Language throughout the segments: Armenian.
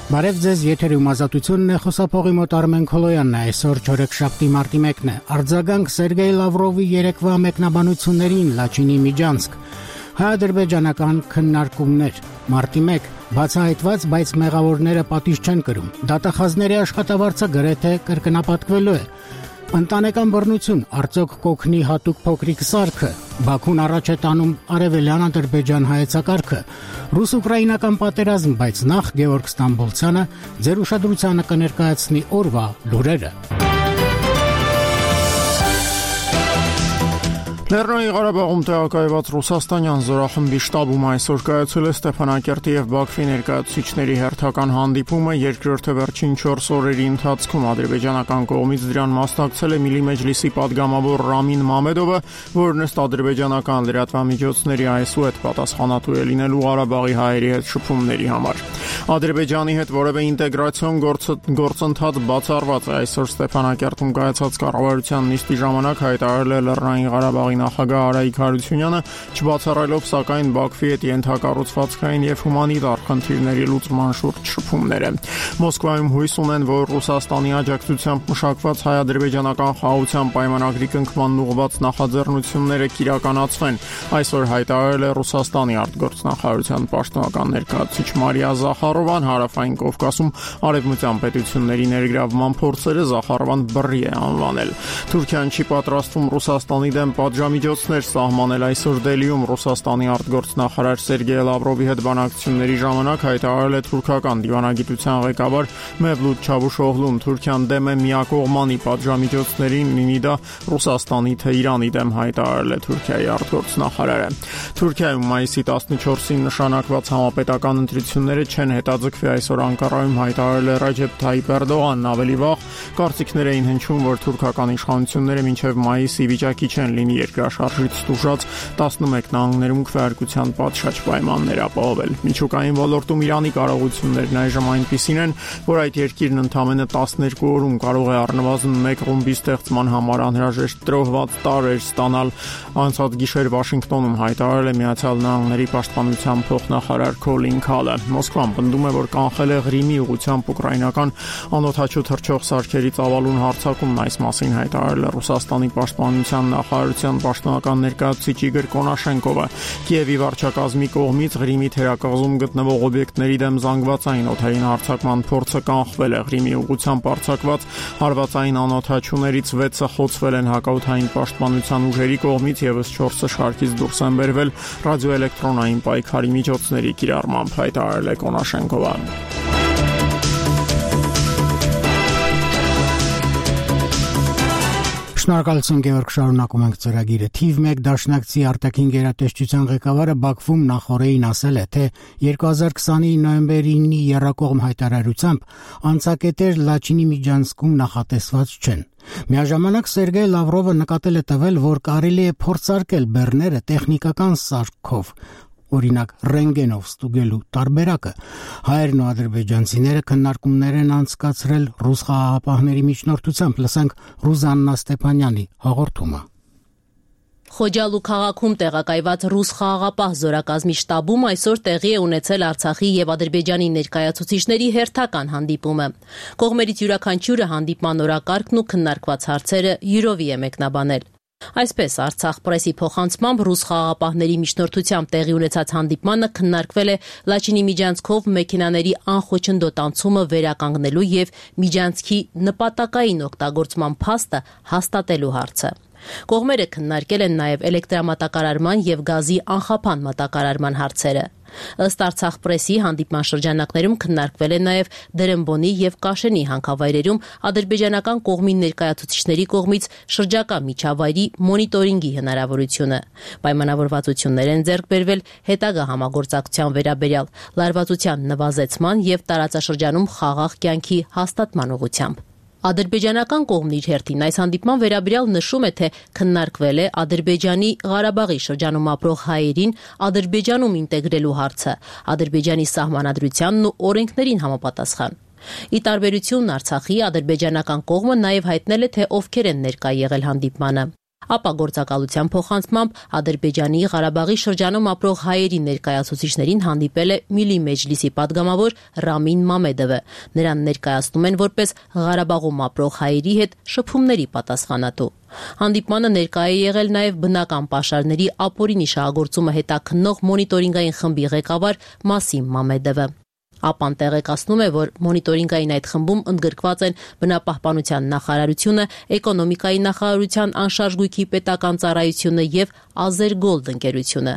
Բարև ձեզ, եթերում ազատությունն է, խոսափողի մոտ Արմեն Քոլոյանն է, այսօր չորեքշաբթի մարտի 1-ն է։ Արձագանք Սերգեյ Լավրովի երեկվա մեկնաբանություններին Լաչինի Միջանցք։ Հայ-ադրբեջանական քննարկումներ։ Մարտի 1 բացահայտված, բայց մեղավորները պատիժ չեն կրում։ Դատախազների աշխատավարձը գրեթե կրկնապատկվելու է։ Ընտանեկան բռնություն, արդյոք կօգնի հատուկ փոքրիկ սարքը։ Բաքուն առաջ է տանում արևելյան Ադրբեջան հայեցակարգը։ Ռուս-ուկրաինական պատերազմ, բայց նախ Գեորգ Ստամբոլցյանը ձեր ուշադրությանը կներկայացնի օրվա լուրերը։ Լեռնային Ղարաբաղում տեղակայված ռուսաստանյան զորախմբի շտաբում այսօր կայացել է Ստեփանակերտի եւ Բաքվի ներկայացուցիչների հերթական հանդիպումը, երկրորդը վերջին 4 օրերի ընթացքում ադրբեջանական կողմից դրան մասնակցել է Միլի Մեջլիսի падգամավոր Ռամին Մամեդովը, որն ըստ ադրբեջանական լրատվամիջոցների այսուհետ պատասխանատու է լինելու Ղարաբաղի հայերի հետ շփումների համար։ Ադրբեջանի հետ որևէ ինտեգրացիոն գործընթաց բացառված է այսօր Ստեփանակերտում կայացած կառավարության նիստի ժամանակ հայտարարել է Լեռնային Ղարաբաղի նախագահ Արայիկ Հարությունյանը, չբացառելով սակայն Բաքվի հետ ենթակառուցվածքային եւ հումանիտար խնդիրների լուծման շուրջ շփումները։ Մոսկվայում հույս ունեն, որ Ռուսաստանի աջակցությամբ մշակված հայ-ադրբեջանական խաղաղության պայմանագրի կնքման ուղղված նախաձեռնությունները կիրականացվեն։ Այսօր հայտարարել է Ռուսաստանի արտգործնախարարության պաշտոնական ներկայացուցիչ Մարիա Զախարովան, Հարավային Կովկասում արևմտյան պետությունների ներգրավման փորձերը Զախարովան բռի է անվանել։ Թուրքիան չի պատրաստվում Ռուսաստանի դեմ պատժամիջոցներ սահմանել։ Այսօր Դելիում Ռուսաստանի արտգործնախարար Սերգեյ Լավրովի հետ բանակցությունների ժամանակ հայտարարել է թուրքական դիվանագիտության ղեկավար Մևլութ Չավուշօղլուն, Թուրքիան դեմ է միակողմանի պատժամիջոցներին, լինի դա Ռուսաստանի թե Իրանի դեմ, հայտարարել է Թուրքիայի արտգործնախարարը։ Թուրքիայում մայիսի 14-ին նշանակված համապետական ընտրությունները չեն հետաձգվի, այսօր Անկարայում հայտարարել է Ռաջեփ Թայիփ Էրդողանն, ավելի վաղ կարծիքներ էին հնչում, որ թուրքական իշխանությունները մինչև մայիսի վիճակի չեն լինի երկրաշարժից տուժած 11 նահանգներում քվեարկության պատշաճ պայմաններ ապահովել։ Միջուկային ոլորտում Իրանի կարողություններն այժմ այնպիսին են, որ այդ երկիրն ընդամենը 12 օրում կարող է առնվազն 1 ռումբի ստեղծման համար անհրաժեշտ տրոհված տարրեր ստանալ։ Անցած գիշեր Վաշինգտոնում հայտարարել է Միացյալ Նահանգների պաշտպանության փոխնախարար Քոլին Քալը։ Մոսկվան պնդում է, որ կանխել է Ղրիմի ուղղությամբ ուկրաինական անօդաչու թռչող սարքերի ծավալուն հարձակումն, այս մասին հայտարարել է Ռուսաստանի պաշտպանության նախարարության պաշտոնական ներկայացուցիչ Իգոր Կոնաշենկովը։ Կիևի վարչակազմի կողմից Ղրիմի թերակղզում գտնվող օբյեկտների դեմ զանգվածային օդային հարձակման փորձը կանխվել է։ Ղրիմի ուղղությամբ արձակված հարվածային անօդաչուներից 6-ը խոցվել են հակաօդային պաշտպանության ուժերի կողմից, եւս 4-ը շարքից դուրս են բերվել ռադիոէլեկտրոնային պայքարի միջոցների կիրառմամբ, հայտարարել է Կոնաշենկովան։ Շնորհակալություն Գեորգ, շարունակում ենք ծրագիրը։ Թիվ 1 դաշնակցի արտաքին գերատեսչության ղեկավարը Բաքվում նախորդին ասել է, թե 2020-ի նոյեմբերի 9-ի եռակողմ հայտարարությամբ անցակետեր Լաչինի Միջանցքում նախատեսված չեն։ Միաժամանակ Սերգեյ Լավրովը նկատել է տվել, որ կարելի է փորձարկել բեռները տեխնիկական սարքով, օրինակ ռենտգենով ստուգելու տարբերակը։ Հայերն ու ադրբեջանցիները քննարկումներ են անցկացրել ռուս խաղաղապահների միջնորդությամբ։ Լսենք Ռուզաննա Ստեփանյանի հաղորդումը։ Խոջալու քաղաքում տեղակայված ռուս խաղաղապահ զորակազմի շտաբում այսօր տեղի է ունեցել Արցախի եւ Ադրբեջանի ներկայացուցիչների հերթական հանդիպումը։ Կողմերից յուրաքանչյուրը հանդիպման օրակարգն ու քննարկված հարցերը յուրովի է մեկնաբանել։ Այսպես Արցախ պրեսի փոխանցմամբ ռուս խաղաղապահների միջնորդությամբ տեղի ունեցած հանդիպմանը քննարկվել է Լաչինի Միջանցքով մեքենաների անխոչնդոտ անցումը վերականգնելու եւ Միջանցքի նպատակային օգտագործման փաստը հաստատելու հարցը։ Կողմերը քննարկել են նաև էլեկտրամատակարարման եւ գազի անխափան մատակարարման հարցերը։ Ըստ Արցախ պրեսի հանդիպման շրջանակներում քննարկվել է նաև Դերեմբոնի եւ Կաշենի հանքավայրերում ադրբեջանական կողմի ներկայացուցիչների կողմից շրջակա միջավայրի մոնիտորինգի հնարավորությունը։ Պայմանավորվածություններ են ձեռք բերվել հետագա համագործակցության վերաբերյալ լարվածության նվազեցման եւ տարածաշրջանում խաղաղ կյանքի հաստատման ուղղությամբ։ Ադրբեջանական կողմն իր հերթին այս հանդիպման վերաբերյալ նշում է, թե քննարկվել է Ադրբեջանի Ղարաբաղի շրջանում ապրող հայերին Ադրբեջանում ինտեգրելու հարցը, Ադրբեջանի սահմանադրությանն ու օրենքներին համապատասխան։ Ի տարբերություն Արցախի, ադրբեջանական կողմը նաև հայտնել է, թե ովքեր են ներկա եղել հանդիպմանը։ Ապա գործակալության փոխանցմամբ Ադրբեջանի Ղարաբաղի շրջանում ապրող հայերի ներկայացուցիչներին հանդիպել է Միլի Մեջլիսի պատգամավոր Ռամին Մամեդովը։ Նրան ներկայացնում են որպես Ղարաբաղում ապրող հայերի հետ շփումների պատասխանատու։ Հանդիպմանը ներկայ է եղել նաև բնական պաշարների ապօրինի շահագործումը հետաքննող մոնիտորինգային խմբի ղեկավար Մասիմ Մամեդովը։ ԱՊԱ-ն տեղեկացնում է, որ մոնիտորինգային այդ խմբում ընդգրկված են բնապահպանության նախարարությունը, էկոնոմիկայի նախարարության անշարժ գույքի պետական ծառայությունը եւ Ազերգոլդ ընկերությունը։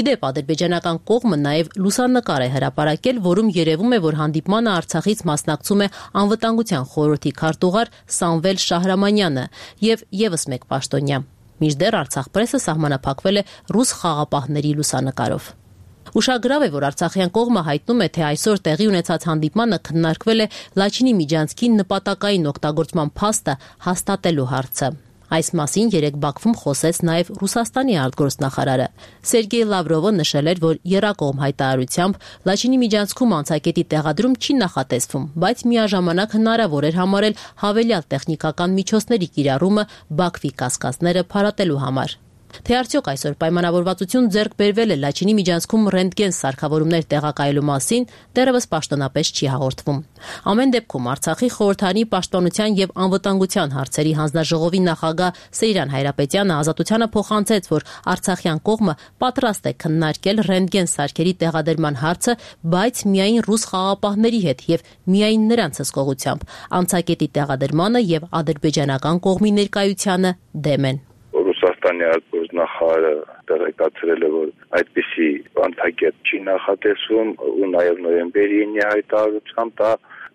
Իդեպ ադրբեջանական կողմը նաև լուսանկար է հրապարակել, որում երևում է, որ հանդիպմանը Արցախից մասնակցում է անվտանգության խորհրդի քարտուղար Սամվել Շահրամանյանը եւ եւս մեկ պաշտոնյա։ Մինչդեռ Արցախ պրեսը սահմանափակվել է ռուս խաղապահների լուսանկարով։ Ուշագրավ է, որ Արցախյան կողմը հայտնում է, թե այսօր տեղի ունեցած հանդիպմանը քննարկվել է Լաչինի Միջանցքի նպատակային օգտագործման փաստը հաստատելու հարցը։ Այս մասին երեկ Բաքվում խոսեց նաև Ռուսաստանի արտգործնախարարը։ Սերգեյ Լավրովը նշել էր, որ եռակողմ հայտարարությամբ Լաչինի Միջանցքում անցակետի տեղադրում չի նախատեսվում, բայց միաժամանակ հնարավոր էր համարել հավելյալ տեխնիկական միջոցների կիրառումը Բաքվի կասկածները փարատելու համար։ Թե արդյոք այսօր պայմանավորվածություն ձեռք բերվել է Լաչինի Միջանցքում ռենտգեն սարքավորումներ տեղակայելու մասին, դեռևս պաշտոնապես չի հաղորդվում։ Ամեն դեպքում Արցախի խորհրդարանի պաշտպանության եւ անվտանգության հարցերի հանձնաժողովի նախագահ Սեյրան Հայրապետյանը Ազատությանը փոխանցեց, որ արցախյան կողմը պատրաստ է քննարկել ռենտգեն սարքերի տեղադրման հարցը, բայց միայն ռուս խաղապահների հետ եւ միայն նրանց հսկողությամբ։ Անցակետի տեղադրմանը եւ ադրբեջանական կողմի ներկայությանը դեմ են։ Ռուսաստանի արտգործնախարարը տեղեկացրել է, որ այդպիսի անցակետ չի նախատեսվում ու նաև նոյեմբերի 9-ի հայտարարությամբ դա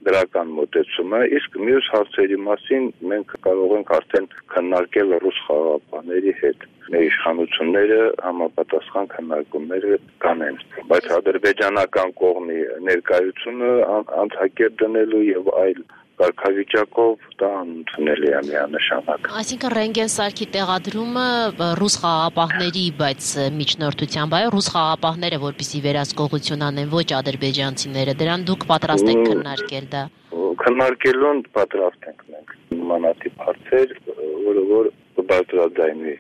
դրական մոտեցում է, իսկ մյուս հարցերի մասին մենք կարող ենք արդեն քննարկել ռուս խաղապահների հետ։ Մեր իշխանությունները համապատասխան քննարկումները կանեն, բայց ադրբեջանական կողմի ներկայությունը անցակետ դնելու եւ այլ կարգավիճակով դա ընդունելի է միանշանակ։ Այսինքն ռենտգեն սարքի տեղադրումը ռուս խաղապահների, բայց միջնորդությամբ այո, ռուս խաղապահները, որպեսզի վերահսկողություն անեն, ոչ ադրբեջանցիները, դրան դուք պատրաստ եք քննարկել դա։ Քննարկելուն պատրաստ ենք մենք նմանատիպ հարցեր, որ բարձրաձայնվի։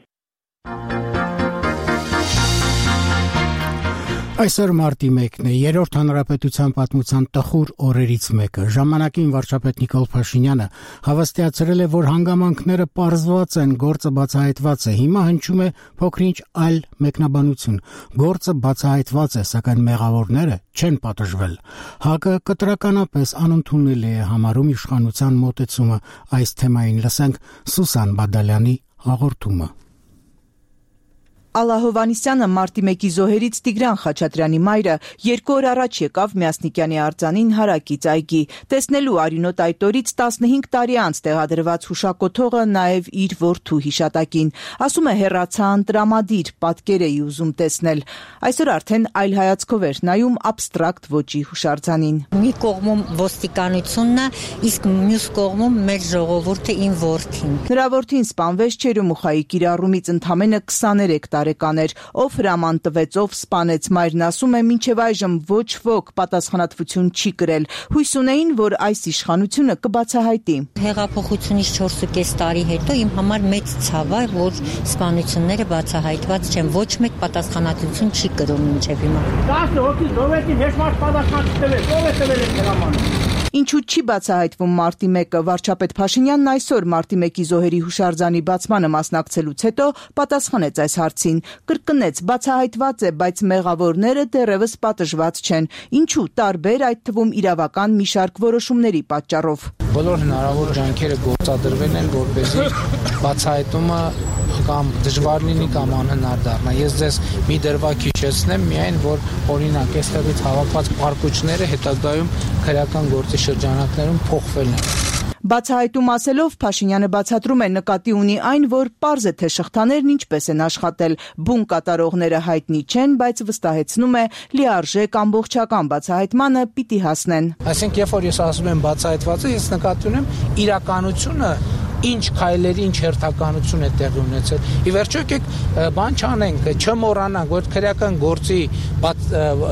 Այսօր մարտի 1-ն է, երրորդ հանրապետության պատմության տխուր օրերից մեկը։ Ժամանակին վարչապետ Նիկոլ Փաշինյանը հավաստիացրել է, որ հանգամանքները պարզված են, գործը բացահայտված է։ Հիմա հնչում է փոքրինչ այլ մեկնաբանություն։ Գործը բացահայտված է, սակայն մեղավորները չեն պատժվել։ ՀԱԿ-ը կտրականապես անընդունելի է համարում իշխանության մոտեցումը այս թեմային։ Լսենք Սուսան Բադալյանի հաղորդումը։ Ալլա Հովհաննիսյանը մարտի 1-ի զոհերից Տիգրան Խաչատրյանի մայրը 2 օր առաջ եկավ Մյասնիկյանի արձանին հարակից այգի։ Տեսնելու արյունոտ այդ օրից 15 տարի անց տեղադրված հուշակոթողը նաև իր որդու հիշատակին։ Ասում է հեռացա ընտրամադիր, պատկեր էի ուզում տեսնել։ Այսօր արդեն այլ հայացքով էր նայում աբստրակտ ոճի հուշարձանին։ Մի կողմում ոստիկանությունն է, իսկ մյուս կողմում մեր ժողովուրդը իմ որդին։ Նրա որդին սպանվեց Չերեմուխայի կիրառումից ընդամենը 23 տարեկան էր, ով հրաման տվեց, ով սպանեց, մայրն ասում է, մինչև այժմ ոչ ոք պատասխանատվություն չի կրել։ Հույս ունեին, որ այս իշխանությունը կբացահայտի։ Հեղափոխությունից 4.5 տարի հետո իմ համար մեծ ցավ է, որ սպանությունները բացահայտված չեն, ոչ մեկ պատասխանատվություն չի կրում մինչև հիմա։ 10 հոգի զոհվեցին, ոչ մարդ պատասխան չտվեց, ով է տվել այդ հրամանը։ Ինչու չի բացահայտվում մարտի 1-ը, վարչապետ Փաշինյանն այսօր մարտի 1-ի զոհերի հուշարձանի բացմանը մասնակցելուց հետո պատասխանեց այս հարցին, կրկնեց, բացահայտված է, բայց մեղավորները դեռևս պատժված չեն, ինչու տարբեր, այդ թվում իրավական մի շարք որոշումների պատճառով։ Բոլոր հնարավոր ջանքերը գործադրվել են, որպեսզի բացահայտումը կամ դժվար լինի կամ անհնար դառնա։ Ես ձեզ մի դրվագ հիշեցնեմ միայն, որ օրինակ այստեղից հավաքված պարկուճները հետագայում քրեական գործի շրջանակներում փոխվել են։ Բացահայտում ասելով Փաշինյանը բացատրում է, նկատի ունի այն, որ պարզ է, թե շղթաներն ինչպես են աշխատել, բուն կատարողները հայտնի չեն, բայց վստահեցնում է, լիարժեք ամբողջական բացահայտմանը պիտի հասնեն։ Այսինքն, երբ որ ես ասում եմ բացահայտված է, ես նկատի ունեմ իրականությունը ինչ քայլերի, ինչ հերթականություն է տեղի ունեցել։ Ի վերջո եկեք բան չանենք, չմոռանանք, որ քրեական գործի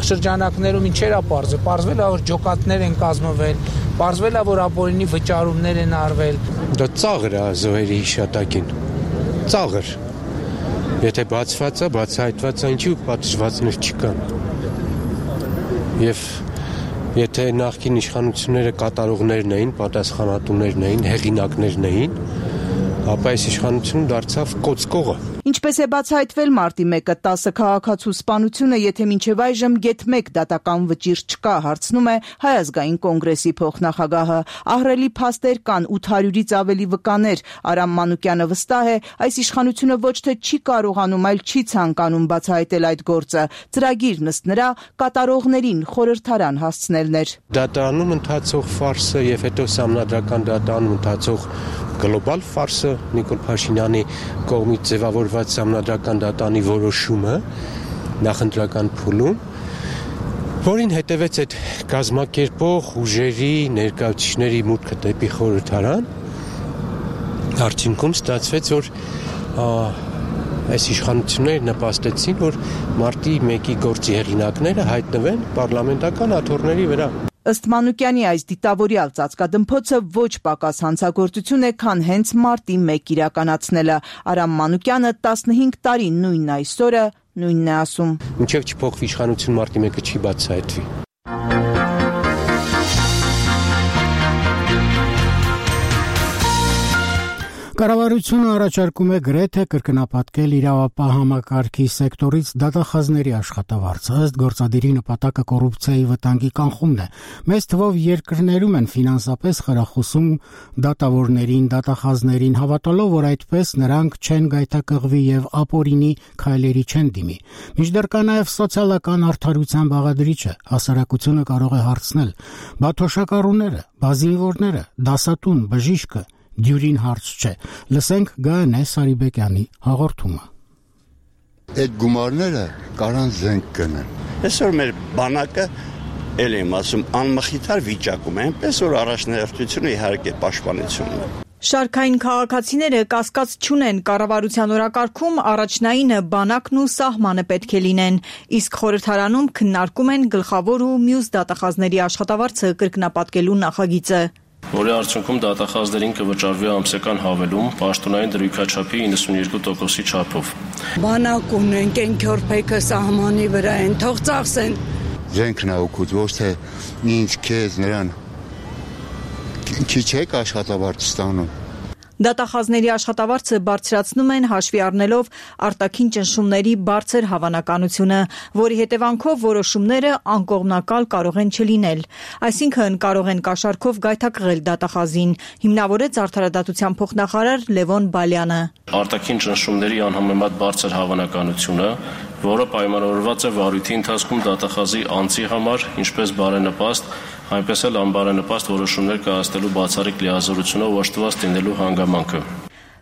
շրջանակներում ինչեր է պարզվել։ Պարզվել է, որ ջոկատներ են կազմվել, պարզվել է, որ ապօրինի վճարումներ են արվել։ Դա ծաղր է զոհերի հիշատակին։ ծաղր։ Եթե բացված է, բացահայտված է, ինչու պատժվածներ չկան։ Եվ եթե նախկին իշխանությունները կատարողներն էին, պատասխանատուներն էին, հեղինակներն էին, ապա այս իշխանությունը դարձավ կոծկողը։ Ինչպես է բացահայտվել մարտի 1-ը 10 քաղաքացու սպանությունը, եթե մինչև այժմ գեթ 1 դատական վճիռ չկա, հարցնում է Հայ ազգային կոնգրեսի փոխնախագահը։ Ահռելի փաստեր կան, 800-ից ավելի վկաներ։ Արամ Մանուկյանը վստահ է, այս իշխանությունը ոչ թե չի կարողանում, այլ չի ցանկանում բացահայտել այդ գործը։ Ծրագիրն ըստ նրա կատարողներին խորհրդարան հասցնելն էր։ Դատարանում ընթացող ֆարսը եւ հետո սահմանադրական դատարանում ընթացող գլոբալ ֆարսը Նիկոլ Փաշինյանի կողմից ձևավորված սահմանադրական դատարանի որոշումը նախընտրական փուլում, որին հետևեց այդ կազմակերպող ուժերի ներկայացուցիչների մուտքը դեպի խորհրդարան, արդյունքում ստացվեց, որ այս իշխանությունները նպաստեցին, որ մարտի 1-ի գործի հեղինակները հայտնվեն պարլամենտական աթոռների վրա։ Ըստ Մանուկյանի այս դիտավորյալ ծածկադմփոցը ոչ պակաս հանցագործություն է, քան հենց մարտի 1 իրականացնելը։ Արամ Մանուկյանը 15 տարի նույնն այսօրը նույնն է ասում։ Մինչև չփոխվի իշխանություն մարտի 1-ը չի բացահայտվի։ Կառավարությունը առաջարկում է գրեթե կրկնապատկել իրավապահ համակարգի սեկտորից դատախազների աշխատավարձը, ըստ գործադիրի նպատակը կոռուպցիայի վտանգի կանխումն է։ Մեծ թվով երկրներում են ֆինանսապես խրախուսում դատավորներին, դատախազներին, հավատալով, որ այդպես նրանք չեն գայթակղվի եւ ապօրինի քայլերի չեն դիմի։ Մինչդեռ կա նաեւ սոցիալական արդարության բաղադրիչը, հասարակությունը կարող է հարցնել. բա թոշակառուները, բա զինվորները, դասատուն, բժիշկը դյուրին հարց չէ։ Լսենք Գայանե Սարիբեկյանի հաղորդումը։ Այդ գումարները կարան զենք գնեն։ Այսօր մեր բանակը էլ եմ ասում անմխիթար վիճակում է, այնպես որ առաջնահերթությունը իհարկե պաշտպանությունն է։ Շարքային քաղաքացիները կասկած չունեն, կառավարության օրակարգում առաջնայինը բանակն ու սահմանը պետք է լինեն, իսկ խորհրդարանում քննարկում են գլխավոր ու մյուս դատախազների աշխատավարձը կրկնապատկելու նախագիծը։ Որի արդյունքում դատախազներին կվճարվի ամսական հավելում պաշտոնային դրույքաչափի 92%-ի չափով։ Բանակ ունեն, կենքյորփեքը սահմանի վրա են, թող ծախսեն։ Զենքն է օգուտ, ոչ թե ինչ քեզ նրան քիչ եք աշխատավարձ ստանում։ Դատախազների աշխատավարձը բարձրացնում են հաշվի առնելով արտաքին ճնշումների բարձր հավանականությունը, որի հետևանքով որոշումները անկողմնակալ կարող են չլինել։ Այսինքն կարող են կաշառքով գայթակղել դատախազին, հիմնավորեց արդարադատության փոխնախարար Լևոն Բալյանը։ Արտաքին ճնշումների անհամեմատ բարձր հավանականությունը, որը պայմանավորված է վարույթի ընթացքում դատախազի անձի համար, ինչպես բարենպաստ, այնպես էլ անբարենպաստ որոշումներ կայացնելու բացառիկ լիազորությունով օժտված լինելու հանգամանքը։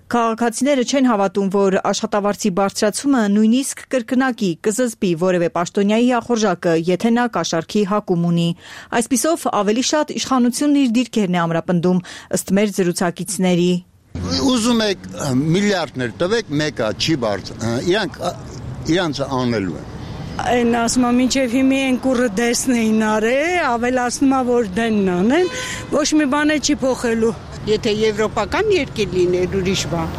Քաղաքացիները չեն հավատում, որ աշխատավարձի բարձրացումը նույնիսկ կրկնակի կզզբի որևէ պաշտոնյայի ախորժակը, եթե նա կաշառքի հակում ունի։ Այսպիսով ավելի շատ իշխանությունն իր դիրքերն է ամրապնդում, ըստ մեր զրուցակիցների։ Ուզում եք միլիարդներ տվեք, մեկը չի բարձր, իրանց անելու են։ Այն ասում եմ, մինչև հիմի են կուրը դեսն էին արել, ավելացնում է, որ դենն անեն, ոչ մի բան չի փոխելու։ Եթե եվրոպական երկիր լիներ ուրիշ բան,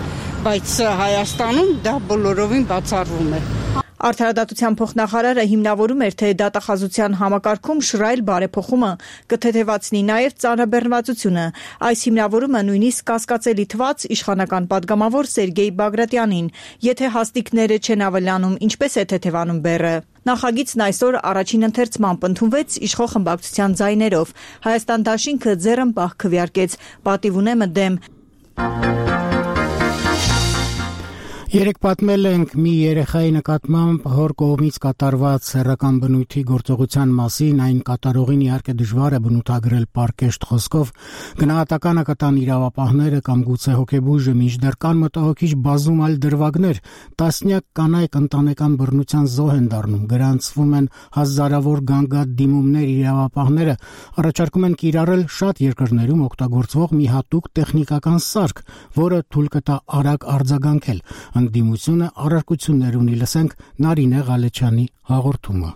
բայց Հայաստանում դա բոլորովին բացառվում է։ Արդարադատության փոխնախարարը հիմնավորում էր, թե դատախազության համակարգում շռայլ բարեփոխումը կթեթևացնի նաև ծանրաբեռնվածությունը։ Այս հիմնավորումը նույնիսկ կասկածելի թվաց իշխանական падգամավոր Սերգեյ Բագրատյանին։ Եթե հաստիկները չեն ավելանում, ինչպես է թեթևանում բեռը։ Նախագիծն այսօր առաջին ընթերցման ընդունվեց իշխող խմբակցության ձայներով։ Հայաստան դաշինքը ձեռնպահ քվեարկեց, պատիվ ունեմը դեմ։ Երեք պատմել ենք մի երեխայի նկատմամբ հոր կողմից կատարված սեռական բնույթի գործողության մասին, այն կատարողին իհարկե դժվար է բնութագրել պարկեշտ խոսքով, գնահատականը կտան իրավապահները կամ գուցե հոգեբույժը, մինչդեռ կան մտահոգիչ բազում այլ դրվագներ, տասնյակ կանայք ընտանեկան բռնության զոհ են դառնում, գրանցվում են հազարավոր գանգատ դիմումներ, իրավապահները առաջարկում են կիրառել շատ երկրներում օգտագործվող մի հատուկ տեխնիկական սարք, որը թույլ կտա արագ արձագանքել։ Ընդդիմությունը առարկություններ ունի, լսենք Նարինե Ղալեչյանի հաղորդումը։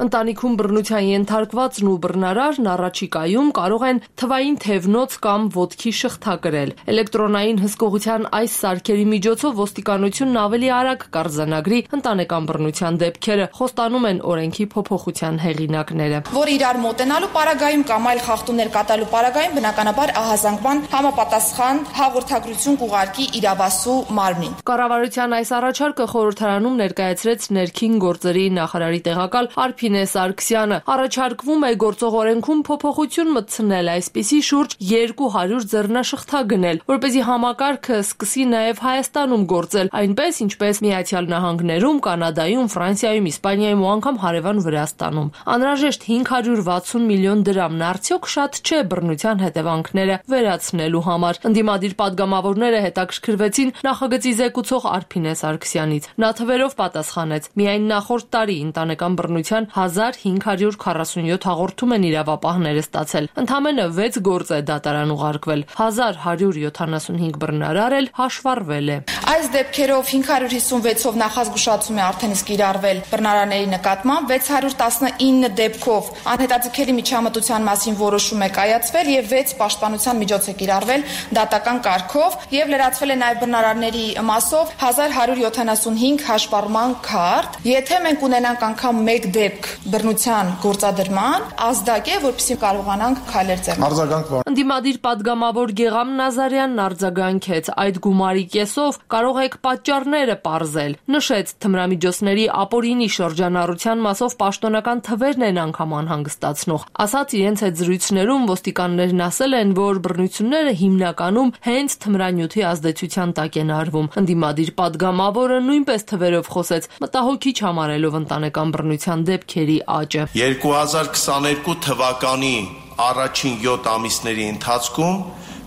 Ընտանիքում բռնության ենթարկվածն ու բռնարարն առաջիկայում կարող են թվային թևնոց կամ ոտքի շղթա կրել։ Էլեկտրոնային հսկողության այս սարքերի միջոցով ոստիկանությունն ավելի արագ կարձանագրի ընտանեկան բռնության դեպքերը, խոստանում են օրենքի փոփոխության հեղինակները։ Որ իրար մոտենալու պարագայում կամ այլ խախտումներ կատարելու պարագայում բնականաբար ահազանգման համապատասխան հաղորդագրություն կուղարկի իրավասու մարմնին։ Կառավարության այս առաջարկը խորհրդարանում ներկայացրեց ներքին գործերի նախարարի տեղակալ Արփինե Սարգսյանը։ Առաջարկվում է գործող օրենքում փոփոխություն մտցնել, այսպիսի շուրջ 200 ձեռնաշղթա գնել, որպեսզի համակարգը սկսի նաև Հայաստանում գործել, այնպես ինչպես Միացյալ Նահանգներում, Կանադայում, Ֆրանսիայում, Իսպանիայում ու անգամ հարևան Վրաստանում։ Անհրաժեշտ 560 միլիոն դրամն արդյոք շատ չէ բռնության հետևանքները վերացնելու համար։ Ընդդիմադիր падգամավորները հետաքրքրվեցին նախագծի զեկուցող Արփինե Սարգսյանից։ Նա թվերով պատասխանեց. միայն նախորդ տարի ընտանեկան բռնության 1547 հաղորդում են իրավապահները ստացել։ Ընդամենը 6 գործ է դատարան ուղարկվել, 1175 բռնարար էլ հաշվառվել է։ Այս դեպքերով 556-ով նախազգուշացում է արդեն իսկ կիրառվել բռնարաների նկատմամբ, 619 դեպքով անհետաձգելի միջամտության մասին որոշում է կայացվել եւ 6 պաշտպանության միջոց է կիրառվել դատական կարգով եւ լրացվել է նաեւ բռնարանների մասով 1175 հաշվառման քարտ։ Եթե մենք ունենանք անգամ 1 դեպք բռնության գործադրման, ազդակ է, որպեսզի կարողանանք քայլեր ձեռնարկել։ Ընդդիմադիր падգամավոր Գեգամ Նազարյանն արձագանքեց. այդ գումարի կեսով կարող եք պատճառները պարզել։ Նշեց, թմրամիջոցների ապօրինի շրջանառության մասով պաշտոնական թվերն են անգամ անհանգստացնող։ Ասաց իրենց հետ զրույցներում ոստիկաններն ասել են, որ բռնությունները հիմնականում հենց թմրանյութի ազդեցության տակ են արվում։ Ընդդիմադիր падգամավորը նույնպես թվերով խոսեց, մտահոգիչ համարելով ընտանեկան բռնության դեպքերի աճը։ 2022 թվականի առաջին 7 ամիսների ընթացքում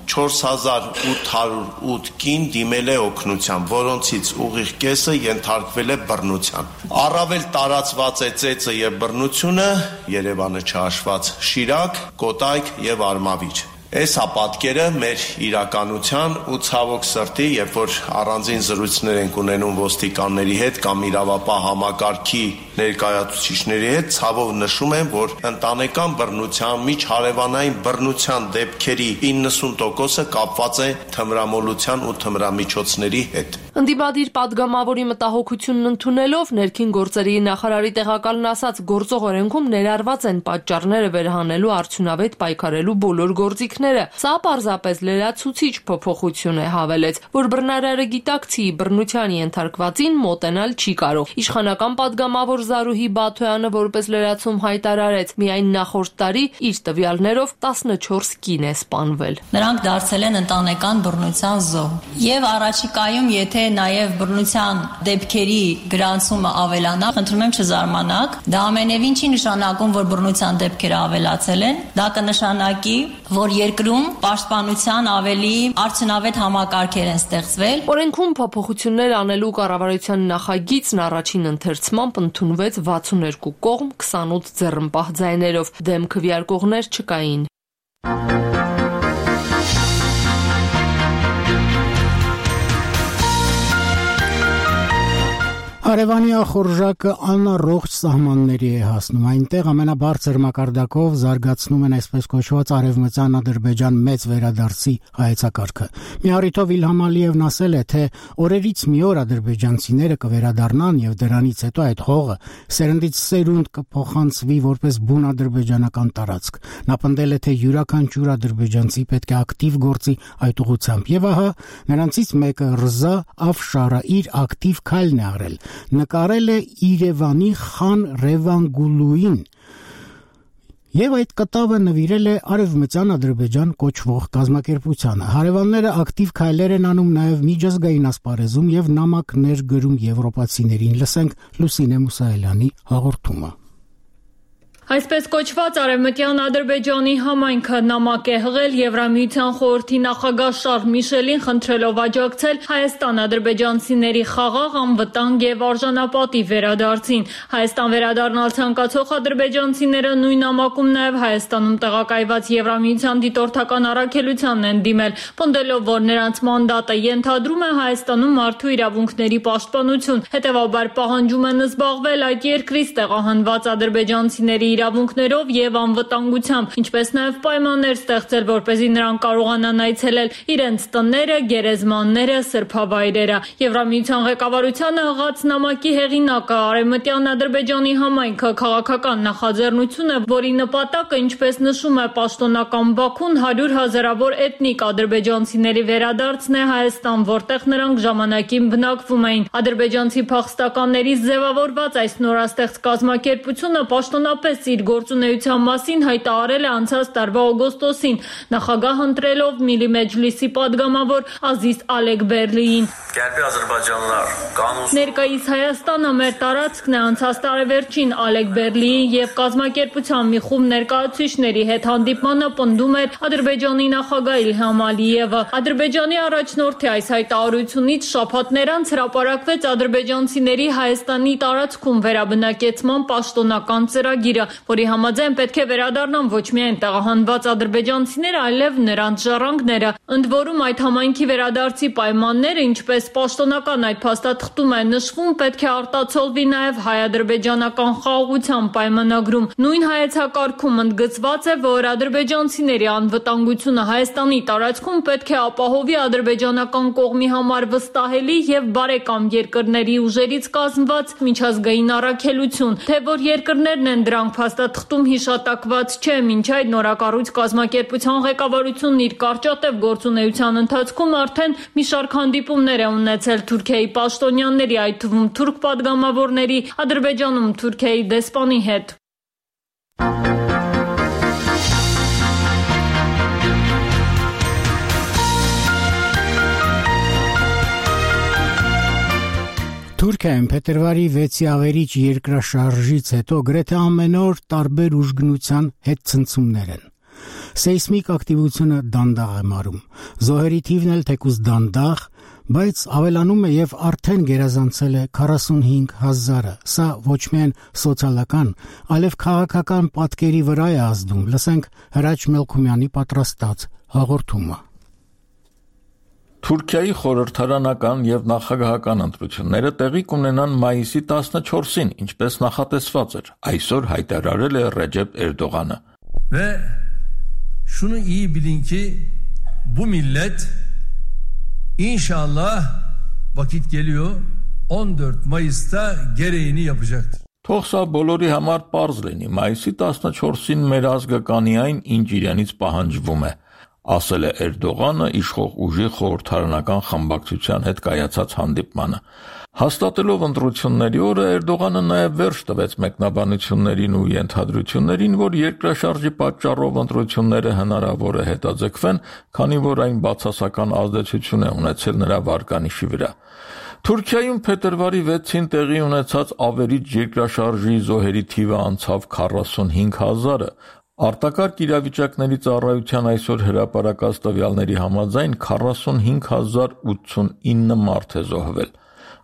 4808 կին դիմել է օգնության, որոնցից ուղիղ կեսը ենթարկվել է բռնության։ Առավել տարածված է ծեծը եւ բռնությունը, Երևանը չհաշված, Շիրակ, Կոտայք եւ Արմավիր։ Այս պատկերը մեր իրականության ու ցավոք սրտի, երբ որ առանձին զրույցներ ենք ունենում ոստիկանների հետ կամ իրավապահ համակարգի ներկայացուցիչների հետ, ցավով նշում եմ, որ ընտանեկան բռնության, միջհարևանային բռնության դեպքերի 90%-ը կապված է թմրամոլության ու թմրամիջոցների հետ։ Ընդդիմադիր падգամավորի մտահոգությունն ընդունելով ներքին գործերի նախարարի տեղակալն ասաց, գործող օրենքում ներառված են պատճառները վերահանելու արդյունավետ պայքարելու բոլոր գործիքները։ Սա պարզապես լրացուցիչ փոփոխություն է, հավելեց, որ բռնարարը գիտակցի բռնության ենթարկվածին մոտենալ չի կարող։ Իշխանական падգամավոր Զարուհի Բաթոյանը որպես լրացում հայտարարեց, միայն նախորդ տարի իր տվյալներով 14 կին է սպանվել։ Նրանք դարձել են ընտանեկան բռնության զոհ։ Եվ առաջիկայում, եթե նաև բռնության դեպքերի գրանցումը ավելանա, խնդրում եմ չզարմանաք, դա ամենևին չի նշանակում, որ բռնության դեպքերը ավելացել են, դա կնշանակի, որ երկրում պաշտպանության ավելի արդյունավետ համակարգեր են ստեղծվել։ Օրենքում փոփոխություններ անելու կառավարության նախագիծն առաջին ընթերցմամբ ընդունվեց 62 կողմ 28 ձեռնպահ ձայներով, դեմ քվեարկողներ չկային։ Արևանի ախորժակը անառողջ սահմանների է հասնում, այնտեղ ամենաբարձր մակարդակով զարգացնում են այսպես կոչված արևմտյան Ադրբեջան մեծ վերադարձի հայեցակարգը։ Մի առիթով Իլհամ Ալիևն ասել է, թե օրերից մի օր ադրբեջանցիները կվերադառնան եւ դրանից հետո այդ հողը սերնդից սերունդ կփոխանցվի որպես բուն ադրբեջանական տարածք։ Նա պնդել է, թե յուրաքանչյուր ադրբեջանցի պետք է ակտիվ գործի այդ ուղղությամբ եւ ահա նրանցից մեկը Ռզա Աֆշարը իր ակտիվ քայլն է արել։ Նկարել է Երևանի Խան Ռևանգուլուին եւ այդ կտավը նվիրել է Արևմտյան Ադրբեջան կոչվող կազմակերպությանը։ Հարևանները ակտիվ քայլեր են անում նաեւ միջազգային ասպարեզում եւ նամակներ գրում եվրոպացիներին։ Լսենք Լուսինե Մուսայելյանի հաղորդումը։ Այսպես կոչված Արևմտյան Ադրբեջանի համայնքը նամակ է հղել Եվրամիության խորհրդի նախագահ Շարլ Միշելին խնդրելով աջակցել հայաստան-ադրբեջանցիների խաղաղ, անվտանգ եւ արժանապատիվ վերադարձին։ Հայաստան վերադառնալ ցանկացող ադրբեջանցիները նույն նամակում նաեւ Հայաստանում տեղակայված Եվրամիության դիտորդական առաքելությանն են դիմել, պնդելով, որ նրանց մանդատը ենթադրում է Հայաստանում մարդու իրավունքների պաշտպանություն, հետեւաբար պահանջում են զբաղվել այդ երկրից տեղահանված ադրբեջանցիների իրավունքներով եւ անվտանգությամբ, ինչպես նաեւ պայմաններ ստեղծել, որպեսզի նրանք կարողանան այցելել իրենց տները, գերեզմանները, սրբավայրերը։ Եվրամիության ղեկավարությանը հղած նամակի հեղինակը Արևմտյան Ադրբեջանի համայնքը քաղաքական նախաձեռնություն է, որի նպատակը, ինչպես նշում է պաշտոնական Բաքուն, 100 հազարավոր էթնիկ ադրբեջանցիների վերադարձն է Հայաստան, որտեղ նրանք ժամանակին բնակվում էին։ Ադրբեջանցի փախստականներից ձևավորված այս նորաստեղծ կազմակերպությունը պաշտոնապես իր գործունեության մասին հայտարարել է անցած տարվա օգոստոսին, նախագահ ընտրելով Միլի Մեջլիսի падգամավոր Ազիզ Ալեքբերլիին։ Ներկայիս Հայաստանը մեր տարածքն է, անցած տարեվերջին Ալեքբերլիի եւ կազմակերպության մի խումբ ներկայացուցիչների հետ հանդիպմանը պնդում էր Ադրբեջանի նախագահ Իլհամ Ալիևը։ Ադրբեջանի առաջնորդի այս հայտարարությունից շաբաթներ անց հրապարակվեց ադրբեջանցիների Հայաստանի տարածքում վերաբնակեցման պաշտոնական ծրագիրը, որի համաձայն պետք է վերադառնան ոչ միայն տեղահանված ադրբեջանցիները, այլև նրանց ժառանգները։ Ընդ որում այդ համայնքի վերադարձի պայմանները, ինչպես պաշտոնական այդ փաստաթղթում է նշվում, պետք է արտացոլվի նաև հայ-ադրբեջանական խաղաղության պայմանագրում։ Նույն հայեցակարգում ընդգծված է, որ ադրբեջանցիների անվտանգությունը Հայաստանի տարածքում պետք է ապահովի ադրբեջանական կողմի համար վստահելի եւ բարեկամ երկրների ուժերից կազմված միջազգային առաքելություն, թե որ երկրներն են դրանք փաստաթղթում հիշատակված չէ, մինչ այդ նորակառույց կազմակերպության ղեկավարությունն իր կարճատև գործունեության ընթացքում արդեն մի շարք հանդիպումներ է ունեցել Թուրքիայի պաշտոնյաների, այդ թվում թուրք падգամավորների, Ադրբեջանում Թուրքիայի դեսպանի հետ։ Թուրքիայում փետրվարի 6-ի ավերիչ երկրաշարժից հետո գրեթե ամեն օր տարբեր ուժգնության հետ ցնցումներ են։ Սեյսմիկ ակտիվությունը դանդաղ է մարում։ Զոհերի թիվն էլ թեկուզ դանդաղ, բայց ավելանում է եւ արդեն գերազանցել է 45,000-ը։ Սա ոչ միայն սոցիալական, այլև քաղաքական պատկերի վրա է ազդում։ Լսենք Հրաչ Մելքումյանի պատրաստած հաղորդումը։ Թուրքիայի խորհրդարանական եւ նախագահական ընտրությունները տեղի կունենան մայիսի 14-ին, ինչպես նախատեսված էր, այսօր հայտարարել է Ռեջեփ Էրդողանը։ Ve şunu iyi bilin ki bu millet inşallah vakit geliyor 14 Mayıs'ta gereğini yapacaktır. Թող սա բոլորի համար պարզ լինի, մայիսի 14-ին մեր ազգը կանի այն, ինչ իրենից պահանջվում է, ասել է Էրդողանը իշխող ուժի խորհրդարանական խմբակցության հետ կայացած հանդիպմանը։ Հաստատելով ընտրությունների օրը Էրդողանը նաև վերջ տվեց մեկնաբանություններին ու ենթադրություններին, որ երկրաշարժի պատճառով ընտրությունները հնարավոր է հետաձգվեն, քանի որ այն բացասական ազդեցություն է ունեցել նրա վարկանիշի վրա։ Թուրքիայում փետրվարի 6-ին տեղի ունեցած ավերիչ երկրաշարժի զոհերի թիվը անցավ 45,000-ը։ Արտակարգ իրավիճակների ծառայության այսօր հրապարակած տվյալների համաձայն 45,089 մարդ է զոհվել։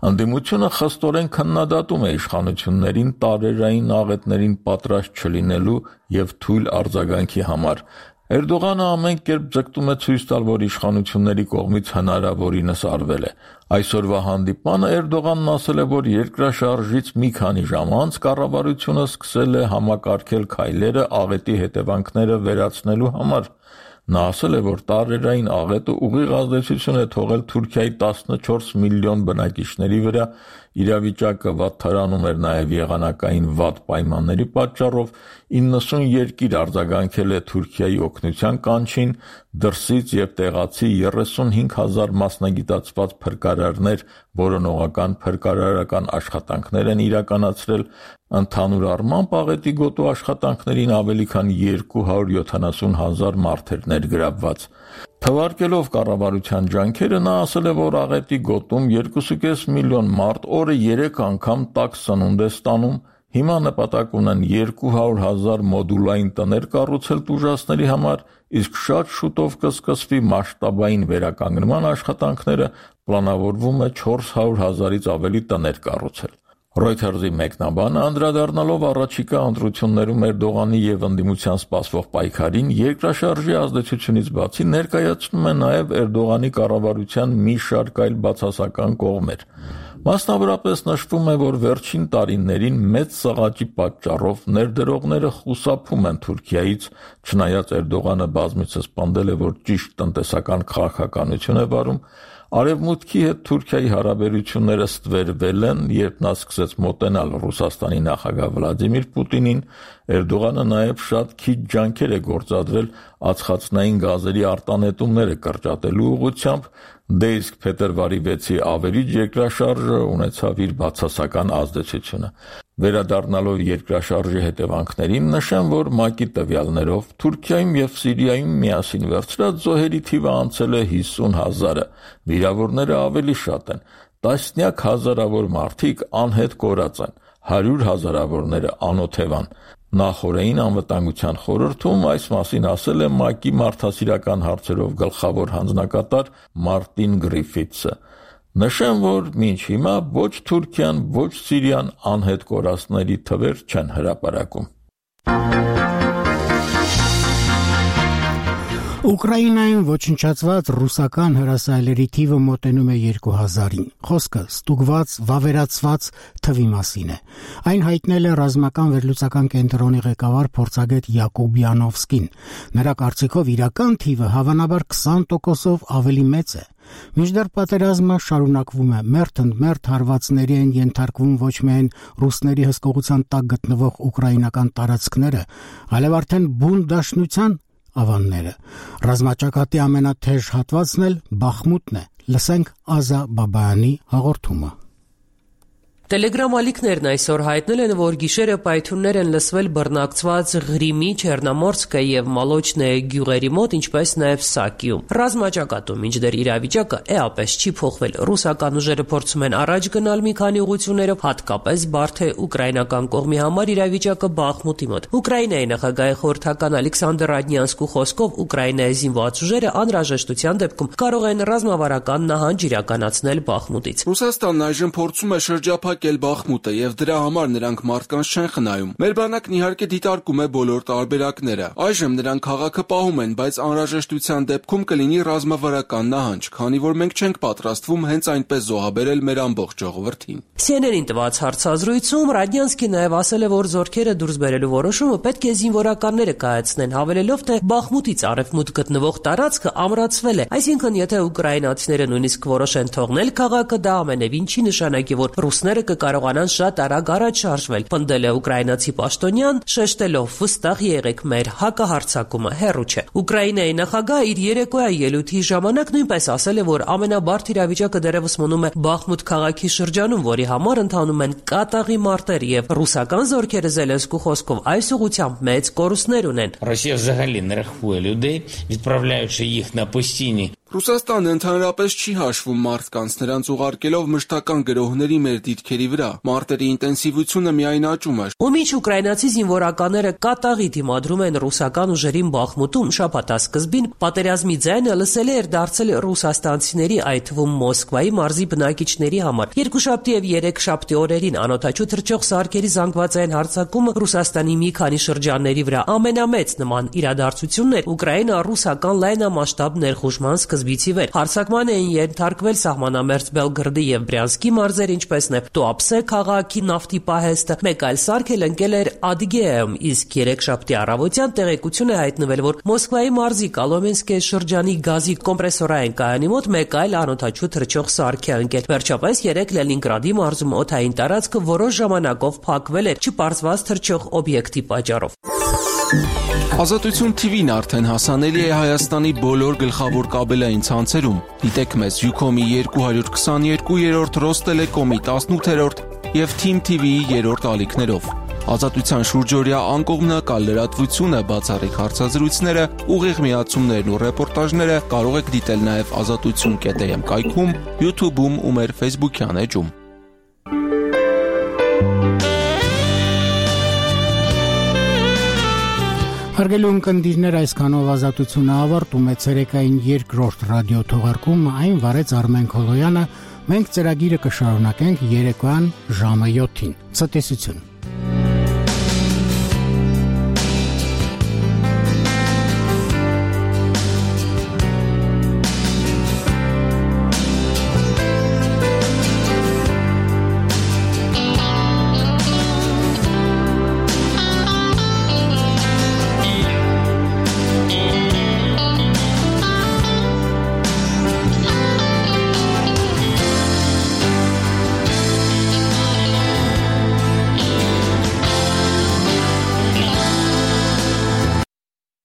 Ընդդիմությունը խստորեն քննադատում է իշխանություններին տարերային աղետներին պատրաստ չլինելու եւ թույլ արձագանքի համար։ Էրդողանը ամեն կերպ ձգտում է ցույց տալ, որ իշխանությունների կողմից հնարավորինս արվել է։ Այսօրվա հանդիպմանը Էրդողանն ասել է, որ երկրաշարժից մի քանի ժամ անց կառավարությունը սկսել է համակարգել քայլերը աղետի հետևանքները վերացնելու համար։ Նա ասել է, որ տարերային աղետը ուղիղ ազդեցություն է թողել Թուրքիայի 14 միլիոն բնակիչների վրա, իրավիճակը վատթարանում էր նաև եղանակային վատ պայմանների պատճառով, 90 երկիր արձագանքել է Թուրքիայի օգնության կանչին, դրսից եւ տեղացի 35,000 մասնագիտացված փրկարարներ որոնողական փրկարարական աշխատանքներ են իրականացրել, ընդհանուր առմամբ աղետի գոտու աշխատանքներին ավելի քան 270,000 մարդ էր ներգրավված։ Թվարկելով կառավարության ջանքերը, նա ասել է, որ աղետի գոտում 2,5 միլիոն մարդ օրը 3 անգամ տաք սնունդ է ստանում, հիմա նպատակ ունեն 200,000 մոդուլային տներ կառուցել տուժածների համար, իսկ շատ շուտով կսկսվի մասշտաբային վերականգնման աշխատանքները, պլանավորվում է 400,000-ից ավելի տներ կառուցել։ Reuters-ի մեկնաբանը անդրադառնալով առաջիկա ընտրություններում Էրդողանի եւ ընդդիմության սպասվող պայքարին երկրաշարժի ազդեցությունից բացի ներկայացնում է նաեւ Էրդողանի կառավարության մի շարք այլ բացասական կողմեր։ Մասնավորապես նշվում է, որ վերջին տարիներին մեծ սղաճի պատճառով ներդրողները խուսափում են Թուրքիայից, չնայած Էրդողանը բազմիցս պնդել է, որ ճիշտ տնտեսական քաղաքականություն է վարում, Արևմուտքի հետ Թուրքիայի հարաբերությունները ստվերվել են, երբ նա սկսեց մոտենալ Ռուսաստանի նախագահ Վլադիմիր Պուտինին, Էրդողանը նաև շատ քիչ ջանքեր է գործադրել ածխածնային գազերի արտանետումները կրճատելու ուղղությամբ, դե իսկ փետրվարի 6-ի ավերիչ երկրաշարժը ունեցավ իր բացասական ազդեցությունը։ Վերադառնալով երկրաշարժի հետևանքներին, նշեմ, որ ՄԱԿ-ի տվյալներով Թուրքիայում եւ Սիրիայում միասին վերցրած զոհերի թիվը անցել է 50,000-ը, վիրավորները ավելի շատ են, տասնյակ հազարավոր մարդիկ անհետ կորած են, 100,000-ավորները անօթևան։ Նախորդին անվտանգության խորհրդում այս մասին ասել է ՄԱԿ-ի մարդասիրական հարցերով գլխավոր հանձնակատար Մարտին Գրիֆիթսը։ Նշեմ, որ մինչ հիմա ոչ Թուրքիան, ոչ Սիրիան անհետ կորածների թվեր չեն հրապարակում։ Ուկրաինայում ոչնչացված ռուսական հրասայլերի թիվը մոտենում է 2,000-ին։ Խոսքը ստուգված, վավերացված թվի մասին է։ Այն հայտնել է ռազմական վերլուծական կենտրոնի ղեկավար փորձագետ Յակոբ Յանովսկին։ Նրա կարծիքով իրական թիվը հավանաբար 20%-ով ավելի մեծ է։ Մինչդեռ պատերազմը շարունակվում է, մերթ-ընդ-մերթ հարվածների են ենթարկվում ոչ միայն ռուսների հսկողության տակ գտնվող ուկրաինական տարածքները, այլև արդեն բուն դաշնության ավանները։ Ռազմաճակատի ամենաթեժ հատվածն էլ Բախմուտն է։ Լսենք Ազա Բաբայանի հաղորդումը։ Տելեգրամ ալիքներն այսօր հայտնել են, որ գիշերը պայթյուններ են լսվել բռնակցված Ղրիմի, Չեռնոմորսկը եւ Մոլոչնե գյուղերի մոտ, ինչպես նաեւ Սակիում։ Ռազմաճակատում մինչդեռ իրավիճակը էապես չի փոխվել։ Ռուսական ուժերը փորձում են առաջ գնալ մի քանի ուղղություններով, հատկապես բարդ է ուկրաինական կողմի համար իրավիճակը Բախմուտի մոտ։ Ուկրաինայի նախագահի խորհրդական Ալեքսանդր Ռադնյանսկու խոսքով Ուկրաինայի զինված ուժերը անհրաժեշտության դեպքում կարող են ռազմավարական նահանջ իրականացնել Բախմուտից։ Ռուսաստանն այժմ փորձում է շրջափակել Բախմուտը եւ դրա համար նրանք մարդկանց չեն խնայում։ Մեր բանակն իհարկե դիտարկում է բոլոր տարբերակները։ Այժմ նրանք քաղաքը պահում են, բայց անհրաժեշտության դեպքում կլինի ռազմավարական նահանջ, քանի որ մենք չենք պատրաստվում հենց այնպես զոհաբերել մեր ամբողջ ժողովրդին։ CNN-ին տված հարցազրույցում Ռադնյանսկին նաև ասել է, որ զորքերը դուրս բերելու որոշումը պետք է զինվորականները կայացնեն, հավելելով, թե Բախմուտից արևմուտք գտնվող տարածքը ամրացվել է։ Այսինքն, եթե ուկրաինացիները նույնիսկ որոշեն թողնել քաղաքը, դա ամենևին չի նշանակի, որ ռուսները կկարողանան շատ արագ առաջ շարժվել, պնդել է ուկրաինացի պաշտոնյան, շեշտելով վստահ եղեք, մեր հակահարձակումը հեռու չէ։ Ուկրաինայի նախագահը իր երեկոյա ելույթի ժամանակ նույնպես ասել է, որ ամենաբարդ իրավիճակը դեռևս մնում է Բախմուտ քաղաքի շրջանում, որի համար ընթանում են կատաղի մարտեր եւ ռուսական զորքերը Զելենսկու խոսքով այս ուղղությամբ մեծ կորուստներ ունեն։ Ռոսիա взагалі не рахує людей, відправляючи їх на постійні Ռուսաստանը ընդհանրապես չի հաշվում մարդկանց, նրանց ուղարկելով մշտական գրոհների մեր դիրքերի վրա։ Մարտերի ինտենսիվությունը միայն աճում է։ Ու մինչ ուկրաինացի զինվորականները կատաղի դիմադրում են ռուսական ուժերին Բախմուտում, շաբաթասկզբին պատերազմի ձայնը լսելի էր դարձել ռուսաստանցիների, այդ թվում Մոսկվայի մարզի բնակիչների համար։ Երկուշաբթի եւ երեքշաբթի օրերին անօթաչու թռչող սարքերի զանգվածային հարձակումը Ռուսաստանի մի քանի շրջանների վրա ամենամեծ նման իրադարձությունն էր ուկրաինա-ռուսական լայնամասշտաբ ներխուժման սկզբից ի վեր։ Հարձակման էին ենթարկվել սահմանամերձ Բելգրադի եւ Բրյանսկի մարզեր, ինչպես նաեւ Տուապսե քաղաքի նավթի պահեստը։ Մեկ այլ սարք էլ ընկել էր Ադիգեայում, իսկ երեքշաբթի առավոտյան տեղեկություն է հայտնվել, որ Մոսկվայի մարզի Կոլոմենսկե շրջանի գազի կոմպրեսորային կայանի մոտ մեկ այլ անօթաչու թռչող սարք է ընկել։ Վերջապես երեկ Լենինգրադի մարզում օդային տարածքը որոշ ժամանակով փակվել էր չպարզված թռչող օբյեկտի պատճառով։ Ազատություն TV-ն արդեն հասանելի է Հայաստանի բոլոր գլխավոր կաբելային ցանցերում։ Դիտեք մեզ Ucom-ի 222-րդ, Ռոստելեկոմի 18-րդ եւ Team TV-ի 3-րդ ալիքներով։ Ազատության շուրջօրյա անկողմնակալ լրատվությունը, բացառիկ հարցազրույցները, ուղիղ միացումներն ու ռեպորտաժները կարող եք դիտել նաեւ azatutsun.am կայքում, YouTube-ում ու մեր Facebook-յան էջում։ Հարգելի ունկնդիրներ, այսքանով ազատությունը ավարտում է ցերեկային երկրորդ ռադիո թողարկումը, այն վարեց Արմեն Քոլոյանը, մենք ծրագիրը կշարունակենք երեկոյան ժամը 7-ին։ Ցտեսություն։